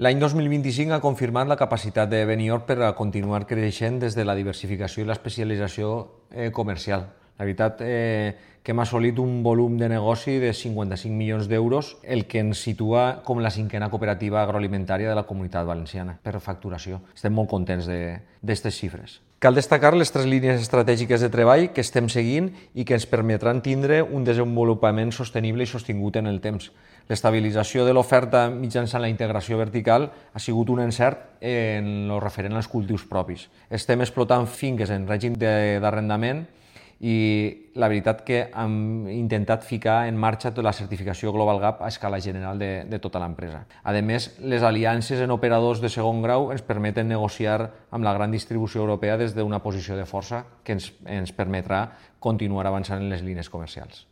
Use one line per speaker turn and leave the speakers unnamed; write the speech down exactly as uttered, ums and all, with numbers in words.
L'any dos mil vint-i-cinc ha confirmat la capacitat de Benioff per a continuar creixent des de la diversificació i l'especialització eh, comercial. La veritat eh, que hem assolit un volum de negoci de cinquanta-cinc milions d'euros, el que ens situa com la cinquena cooperativa agroalimentària de la Comunitat Valenciana per facturació. Estem molt contents d'aquestes xifres. Cal destacar les tres línies estratègiques de treball que estem seguint i que ens permetran tindre un desenvolupament sostenible i sostingut en el temps. L'estabilització de l'oferta mitjançant la integració vertical ha sigut un encert en el referent als cultius propis. Estem explotant finques en règim d'arrendament i la veritat que hem intentat ficar en marxa tota la certificació Global Gap a escala general de, de tota l'empresa. A més, les aliances en operadors de segon grau ens permeten negociar amb la gran distribució europea des d'una posició de força que ens, ens permetrà continuar avançant en les línies comercials.